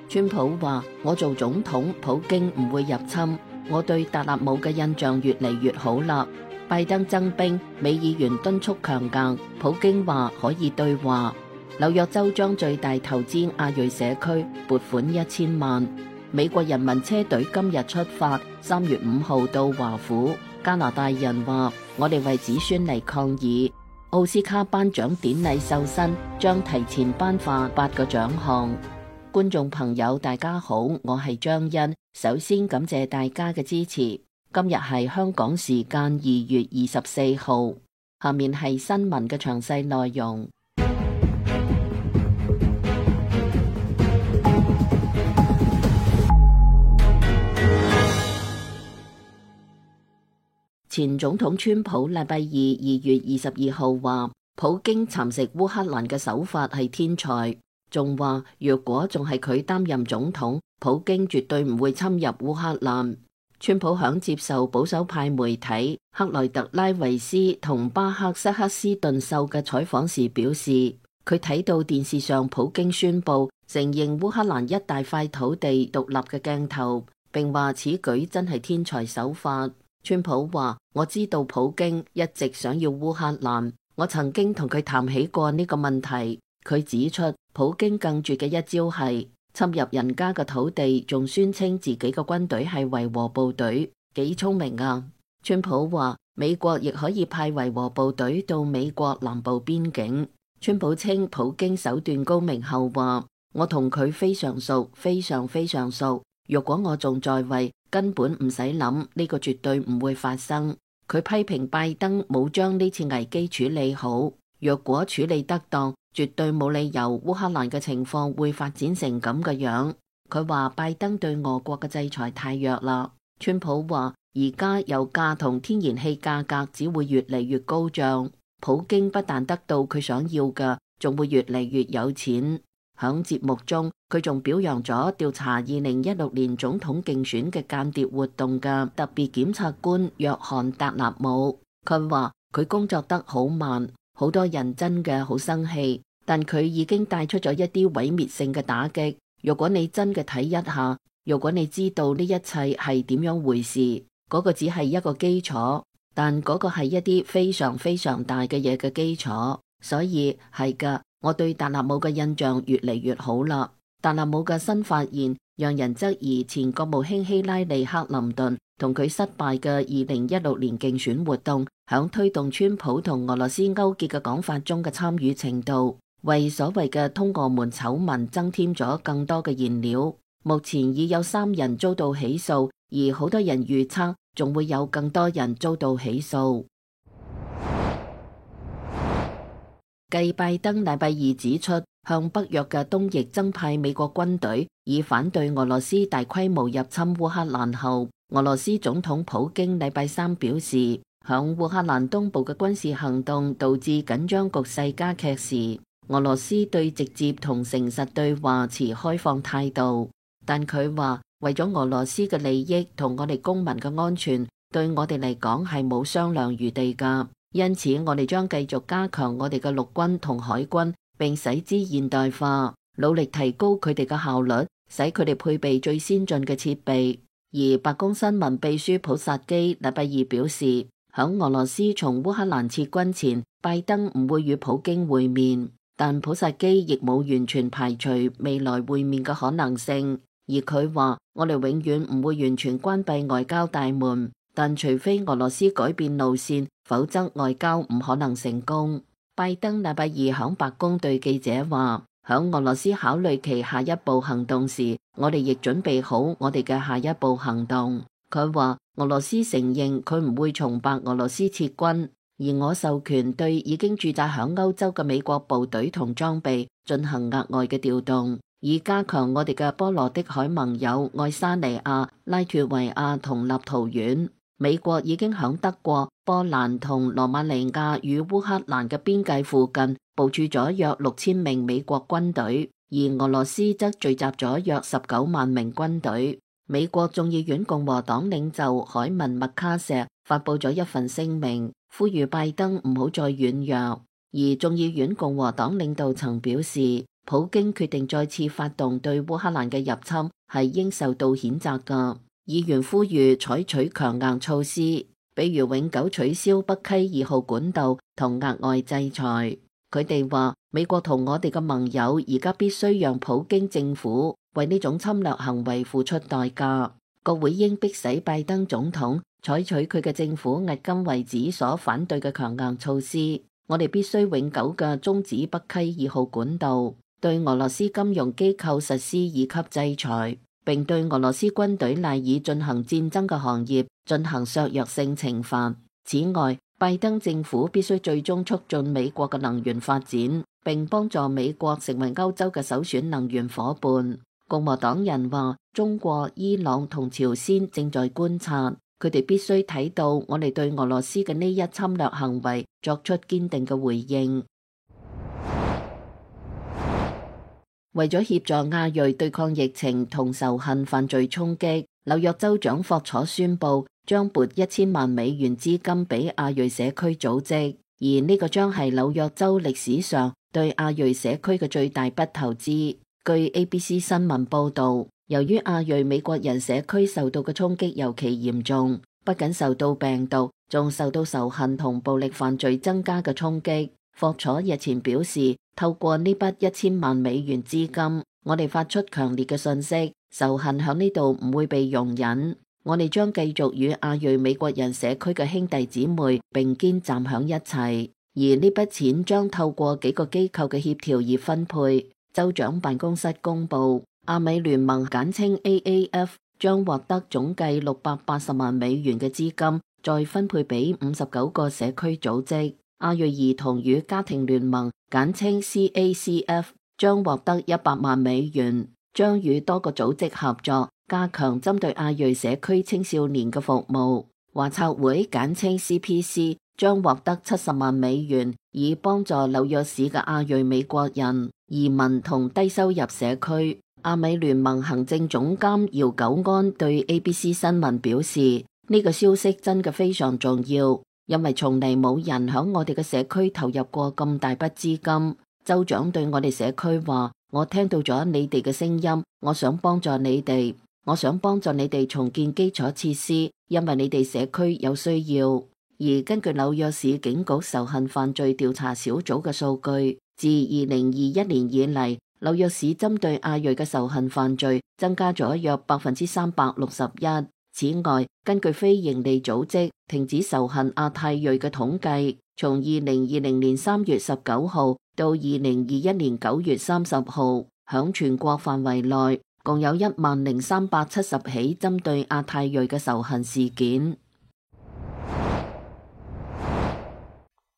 川普話：我做總統，普京唔會入侵。我對達納姆嘅印象越嚟越好啦。拜登增兵，美議員敦促強硬，普京話可以對話。紐約州將最大投資亞裔社區，撥款1000萬。美國人民車隊今日出發，3月5號到華府。加拿大人話：我哋為子孫嚟抗議。奧斯卡頒獎典禮授勳，將提前頒發8個獎項。觀眾朋友大家好，我係張欣，首先感謝大家嘅支持。今日係香港時間2月24號，下面係新聞嘅詳細內容。前總統川普禮拜二2月22號話，普京蠶食烏克蘭嘅手法係天才，仲話若果仲係佢擔任總統，普京絕對唔會侵入烏克蘭。川普響接受保守派媒體克萊特拉維斯同巴克塞克斯頓秀嘅採訪時表示，佢睇到電視上普京宣布承認烏克蘭一大塊土地獨立嘅鏡頭，並話此舉真係天才手法。川普話：我知道普京一直想要烏克蘭，我曾經同佢談起過呢個問題。佢指出，普京更絕嘅一招係侵入人家嘅土地，仲宣稱自己嘅軍隊係維和部隊，幾聰明啊！川普話：美國亦可以派維和部隊到美國南部邊境。川普稱普京手段高明後話：我同佢非常熟，非常非常熟。若果我仲在位，根本唔使諗，呢個絕對唔會發生。佢批評拜登冇將呢次危機處理好，若果處理得當，絕對冇理由烏克蘭嘅情況會發展成咁嘅樣。佢話拜登對俄國嘅制裁太弱啦。川普話而家油價同天然氣價格只會越嚟越高漲，普京不但得到佢想要嘅，仲會越嚟越有錢。響節目中，佢仲表揚咗調查2016年總統競選嘅間諜活動嘅特別檢察官約翰達納姆。佢話佢工作得好慢，好多人真嘅好生氣，但佢已經帶出咗一啲毀滅性嘅打擊。如果你真嘅睇一下，如果你知道呢一切係點樣回事，嗰個只係一個基礎，但嗰個係一啲非常非常大嘅嘢嘅基礎。所以係噶。我對達納姆嘅印象越嚟越好啦。達納姆嘅新發現讓人質疑前國務卿希拉里克林頓同佢失敗嘅2016年競選活動響推動川普同俄羅斯勾結嘅講法中嘅參與程度，為所謂嘅通俄門醜聞增添咗更多嘅燃料。目前已有3人遭到起訴，而好多人預測仲會有更多人遭到起訴。繼拜登禮拜二指出向北約嘅東翼增派美國軍隊，以反對俄羅斯大規模入侵烏克蘭後，俄羅斯總統普京禮拜三表示，響烏克蘭東部嘅軍事行動導致緊張局勢加劇時，俄羅斯對直接同誠實對話持開放態度。但佢話為咗俄羅斯嘅利益同我哋公民嘅安全，對我哋嚟講係冇商量餘地㗎。因此，我哋將繼續加強我哋嘅陸軍同海軍，並使之現代化，努力提高佢哋嘅效率，使佢哋配備最先進嘅設備。而白宮新聞秘書普薩基禮拜二表示，響俄羅斯從烏克蘭撤軍前，拜登唔會與普京會面，但普薩基亦冇完全排除未來會面嘅可能性。而佢話：我哋永遠唔會完全關閉外交大門。但除非俄羅斯改變路線，否則外交唔可能成功。拜登禮拜二響白宮對記者話：響俄羅斯考慮其下一步行動時，我哋亦準備好我哋嘅下一步行動。佢話俄羅斯承認佢唔會從白俄羅斯撤軍，而我授權對已經駐紮響歐洲嘅美國部隊同裝備進行額外嘅調動，以加強我哋嘅波羅的海盟友愛沙尼亞、拉脫維亞同立陶宛。美國已經響德國、波蘭同羅馬尼亞與烏克蘭嘅邊界附近部署咗約6000名美國軍隊，而俄羅斯則聚集咗約19萬名軍隊。美國眾議院共和黨領袖海文麥卡錫發佈咗一份聲明，呼籲拜登唔好再軟弱。而眾議院共和黨領導層表示，普京決定再次發動對烏克蘭嘅入侵係應受到譴責㗎。議員呼籲採取強硬措施，比如永久取消北溪2號管道同額外制裁。佢哋話美國同我哋嘅盟友而家必須讓普京政府為呢種侵略行為付出代價。國會應迫使拜登總統採取佢嘅政府迄今為止所反對嘅強硬措施。我哋必須永久嘅終止北溪2號管道，對俄羅斯金融機構實施2級制裁，並對俄羅斯軍隊賴以進行戰爭嘅行業進行削弱性懲罰。此外，拜登政府必須最終促進美國嘅能源發展，並幫助美國成為歐洲嘅首選能源夥伴。共和黨人話，中國、伊朗同朝鮮正在觀察，佢哋必須睇到我哋對俄羅斯嘅呢一侵略行為作出堅定嘅回應。為咗協助亞裔對抗疫情同仇恨犯罪衝擊，紐約州長霍楚宣布將撥1000萬美元資金俾亞裔社區組織，而呢個將係紐約州歷史上對亞裔社區嘅最大筆投資。據 ABC 新聞報道，由於亞裔美國人社區受到嘅衝擊尤其嚴重，不僅受到病毒，仲受到仇恨同暴力犯罪增加嘅衝擊。霍楚日前表示，透過呢筆1000萬美元資金，我哋發出強烈嘅訊息，仇恨響呢度唔會被容忍。我哋將繼續與亞裔美國人社區嘅兄弟姊妹並肩站響一齊，而呢筆錢將透過幾個機構嘅協調而分配。州長辦公室公布，亞美聯盟簡稱 AAF 將獲得總計680萬美元嘅資金，再分配俾59個社區組織。亞裔兒童與家庭聯盟簡稱 CACF 將獲得100萬美元，將與多個組織合作，加強針對亞裔社區青少年嘅服務。華策會簡稱 CPC 將獲得70萬美元，以幫助紐約市嘅亞裔美國人、移民同低收入社區。亞美聯盟行政總監姚久安對 ABC 新聞表示，呢個消息真嘅非常重要，因為從嚟冇人響我哋嘅社區投入過咁大筆資金。州長對我哋社區話，我聽到咗你哋嘅聲音，我想幫助你哋，我想幫助你哋重建基礎設施，因為你哋社區有需要。而根據紐約市警局仇恨犯罪調查小組嘅數據，自2021年以嚟，紐約市針對亞裔嘅仇恨犯罪增加咗約361%。此外，根據非營利組織停止仇恨亞太裔嘅統計，從2020年3月19號到2021年9月30號，響全國範圍內共有10370起針對亞太裔嘅仇恨事件。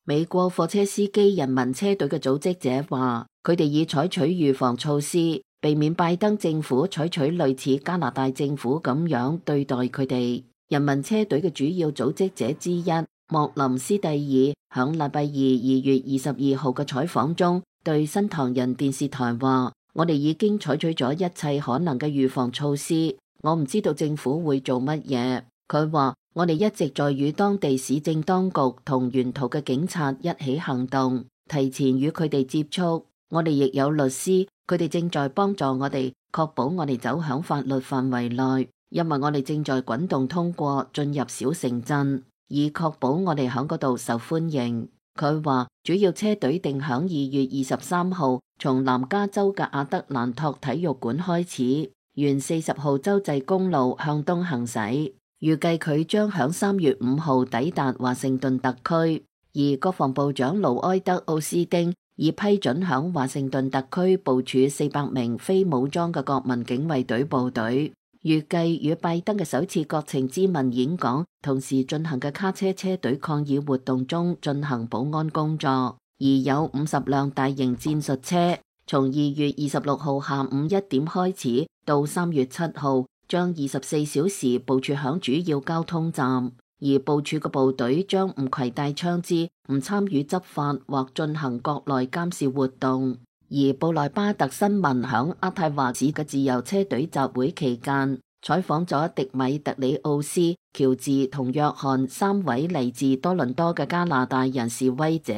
美國貨車司機人民車隊嘅組織者話，佢哋已採取預防措施，避免拜登政府採取類似加拿大政府咁樣對待佢哋。人民車隊嘅主要組織者之一莫林斯蒂爾響禮拜2月22號嘅採訪中，對新唐人電視台話，我哋已經採取咗一切可能嘅預防措施，我唔知道政府會做乜嘢。佢話，我哋一直在與當地市政當局同沿途嘅警察一起行動，提前與佢哋接觸。我哋亦有律師，佢哋正在幫助我哋，確保我哋走響法律範圍內，因為我哋正在滾動通過進入小城鎮，以確保我哋響嗰度受歡迎。佢話，主要車隊定響2月23號從南加州嘅亞德蘭托體育館開始，沿40號州際公路向東行駛。預計佢將響3月5號抵達華盛頓特區，而國防部長盧埃德奧斯丁已批准響華盛頓特區部署400名非武裝嘅國民警衛隊部隊。預計與拜登嘅首次國情咨文演講同時進行嘅卡車車隊抗議活動中進行保安工作，而有50輛大型戰術車從2月26號下午1點開始到3月7號。將24小時部署響主要交通站，而部署嘅部隊將唔攜帶槍支，唔參與執法或進行國內監視活動。而布萊巴特新聞響渥太華市嘅自由車隊集會期間，採訪咗迪米特里奧斯、喬治同約翰3位嚟自多倫多嘅加拿大人示威者。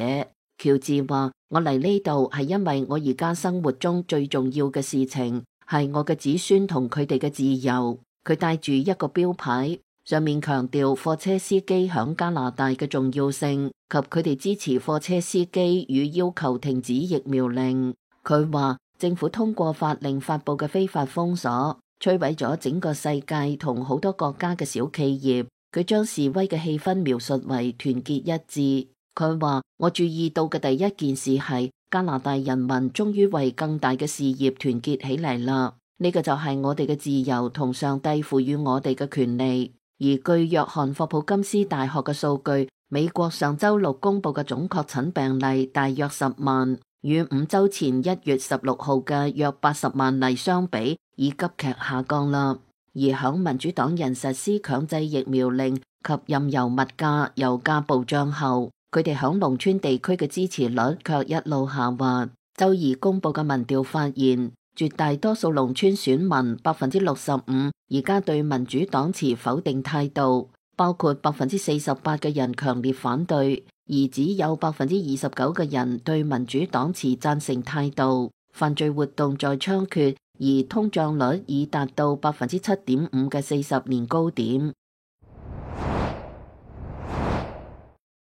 喬治話：我嚟呢度係因為我而家生活中最重要嘅事情係我嘅子孫同佢哋嘅自由。佢帶住一個標牌，上面強調貨車司機響加拿大嘅重要性及佢哋支持貨車司機與要求停止疫苗令。佢話政府通過法令發布嘅非法封鎖，摧毀咗整個世界同好多國家嘅小企業。佢將示威嘅氣氛描述為團結一致。佢話我注意到嘅第一件事係加拿大人民終於為更大嘅事業團結起嚟啦。呢個就係我哋嘅自由同上帝賦予我哋嘅權利。而據約翰霍普金斯大學嘅數據，美國上周六公布嘅總確診病例大約10萬，與5週前1月16號嘅約80萬例相比，已急劇下降啦。而響民主黨人實施強制疫苗令及任由物價、油價暴漲後，佢哋響農村地區嘅支持率卻一路下滑。周二公布嘅民調發現，絕大多數農村選民65%而家對民主黨持否定態度，包括48%嘅人強烈反對，而只有29%嘅人對民主黨持贊成態度。犯罪活動在猖獗，而通脹率已達到7.5%嘅40年高點。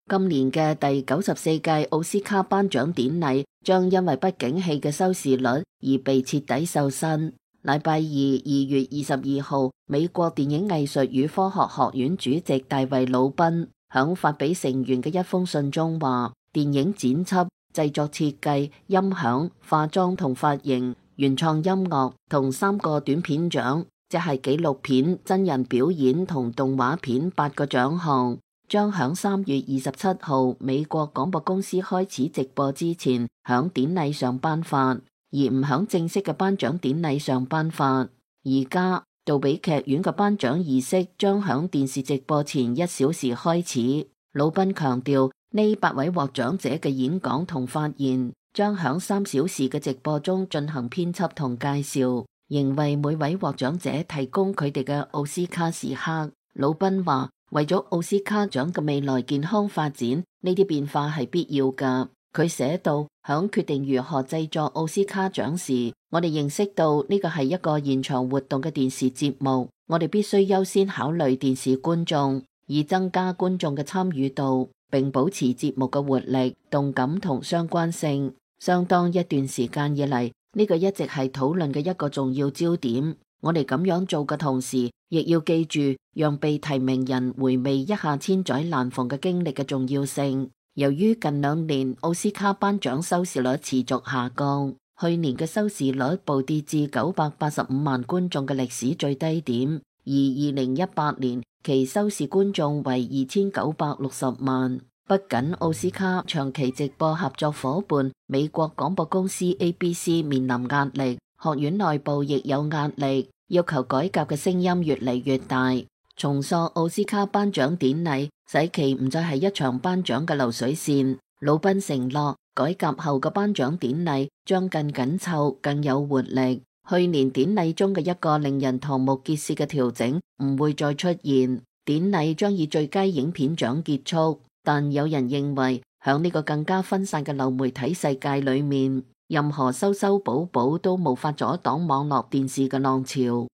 今年嘅第94屆奧斯卡頒獎典禮將因為不景氣嘅收視率而被徹底瘦身。禮拜二2月22號，美國電影藝術與科學學院主席大衛魯賓響發俾成員嘅一封信中話，電影剪輯、製作設計、音響、化妝同髮型、原創音樂同3個短片獎，即係紀錄片、真人表演同動畫片8個獎項，將響3月27號美國廣播公司開始直播之前響典禮上頒發，而唔響正式嘅頒獎典禮上頒發。而家杜比劇院嘅頒獎儀式將響電視直播前1小時開始。魯賓強調，呢8位獲獎者嘅演講同發言將響3小時嘅直播中進行編輯同介紹，仍為每位獲獎者提供佢哋嘅奧斯卡時刻。魯賓話，為咗奧斯卡獎嘅未來健康發展，呢啲變化係必要㗎。佢寫到，響決定如何製作奧斯卡獎時，我哋認識到呢個係一個現場活動嘅電視節目，我哋必須優先考慮電視觀眾，以增加觀眾嘅參與度，並保持節目嘅活力、動感同相關性。相當一段時間以嚟，呢個一直係討論嘅一個重要焦點。我哋咁樣做嘅同時，亦要記住讓被提名人回味一下千載難逢嘅經歷嘅重要性。由於近2年奧斯卡頒獎收視率持續下降，去年嘅收視率暴跌至985萬觀眾嘅歷史最低點，而2018年其收視觀眾為2960萬。不僅奧斯卡長期直播合作夥伴美國廣播公司 ABC 面臨壓力，學院內部亦有壓力，要求改革嘅聲音越嚟越大。重塑奧斯卡頒獎典禮，使其唔再係一場頒獎嘅流水線。魯賓承諾，改革後嘅頒獎典禮將更緊湊、更有活力。去年典禮中嘅一個令人瞠目結舌嘅調整唔會再出現，典禮將以最佳影片獎結束。但有人認為，響呢個更加分散嘅流媒體世界裏面，任何修修補補都無法阻擋網絡電視嘅浪潮。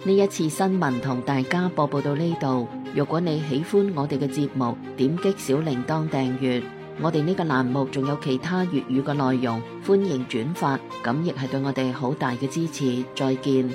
呢一次新聞同大家播報到呢度。如果你喜歡我哋嘅節目，點擊小鈴鐺訂閱。我哋呢個欄目仲有其他粵語嘅內容，歡迎轉發，咁亦係對我哋好大嘅支持。再見。